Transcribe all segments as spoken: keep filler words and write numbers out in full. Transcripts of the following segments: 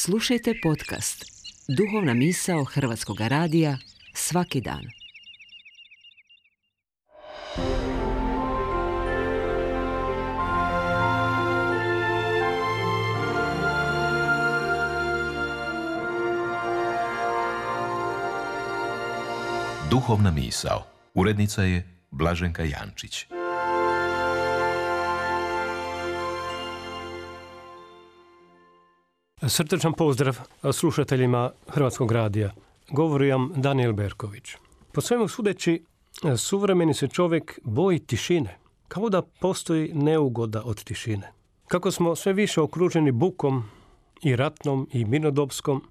Slušajte podcast Duhovna misao Hrvatskog radija svaki dan. Duhovna misao. Urednica je Blaženka Jančić. Srdačan pozdrav slušateljima Hrvatskog radija. Govori vam Danijel Berković. Po svemu sudeći, suvremeni se čovjek boji tišine, kao da postoji neugoda od tišine. Kako smo sve više okruženi bukom i ratnom i mirnodopskom,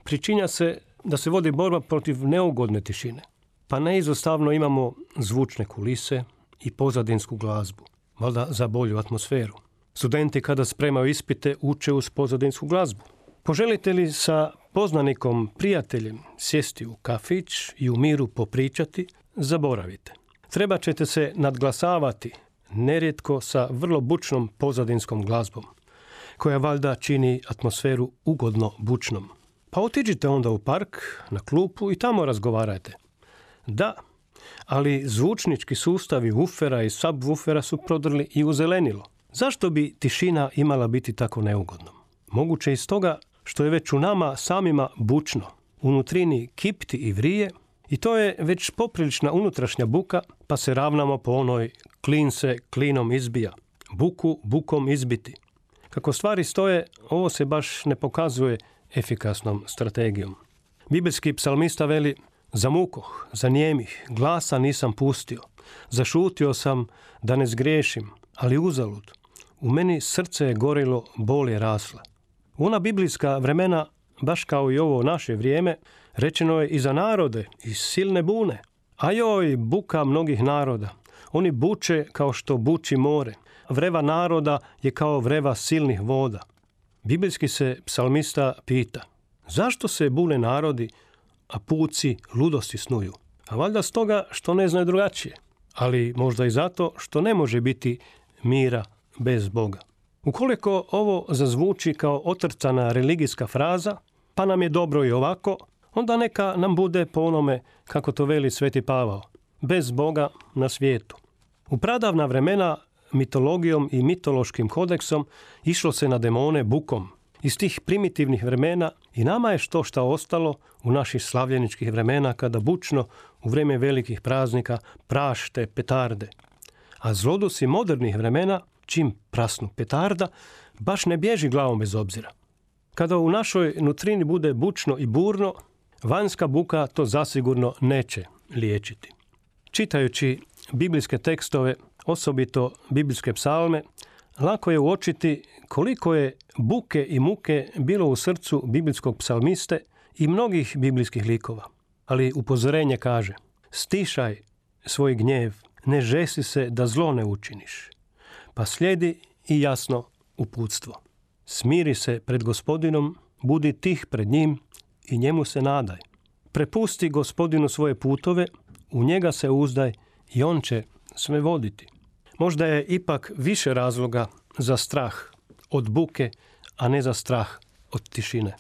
pričinja se da se vodi borba protiv neugodne tišine. Pa neizostavno imamo zvučne kulise i pozadinsku glazbu, valjda za bolju atmosferu. Studenti kada spremaju ispite uče uz pozadinsku glazbu. Poželite li sa poznanikom, prijateljem sjesti u kafić i u miru popričati, zaboravite. Treba ćete se nadglasavati, nerijetko sa vrlo bučnom pozadinskom glazbom, koja valjda čini atmosferu ugodno bučnom. Pa otiđite onda u park, na klupu i tamo razgovarajte. Da, ali zvučnički sustavi ufera i subwoofera su prodrli i u zelenilo. Zašto bi tišina imala biti tako neugodnom? Moguće iz toga što je već u nama samima bučno, unutrini kipti i vrije, i to je već poprilična unutrašnja buka, pa se ravnamo po onoj klin se klinom izbija, buku bukom izbiti. Kako stvari stoje, ovo se baš ne pokazuje efikasnom strategijom. Bibelski psalmista veli: zamukoh, zanijemih, glasa nisam pustio, zašutio sam da ne zgriješim, ali uzalud. U meni srce je gorilo, bol je rasla. U ona biblijska vremena, baš kao i ovo naše vrijeme, rečeno je i za narode, i silne bune. A joj, buka mnogih naroda. Oni buče kao što buči more. Vreva naroda je kao vreva silnih voda. Biblijski se psalmista pita: zašto se bune narodi, a puci ludosti snuju? A valjda stoga što ne znaju drugačije. Ali možda i zato što ne može biti mira bez Boga. Ukoliko ovo zazvuči kao otrcana religijska fraza, pa nam je dobro i ovako, onda neka nam bude po onome kako to veli Sveti Pavao: bez Boga na svijetu. U pradavna vremena mitologijom i mitološkim kodeksom išlo se na demone bukom. Iz tih primitivnih vremena i nama je što šta ostalo u naših slavljeničkih vremena, kada bučno u vrijeme velikih praznika prašte petarde. A zlodusi modernih vremena, čim prasnu petarda, baš ne bježi glavom bez obzira. Kada u našoj nutrini bude bučno i burno, vanjska buka to zasigurno neće liječiti. Čitajući biblijske tekstove, osobito biblijske psalme, lako je uočiti koliko je buke i muke bilo u srcu biblijskog psalmiste i mnogih biblijskih likova. Ali upozorenje kaže: stišaj svoj gnjev, ne žesi se da zlo ne učiniš. Pa slijedi i jasno uputstvo: smiri se pred Gospodinom, budi tih pred njim i njemu se nadaj. Prepusti Gospodinu svoje putove, u njega se uzdaj i on će sve voditi. Možda je ipak više razloga za strah od buke, a ne za strah od tišine.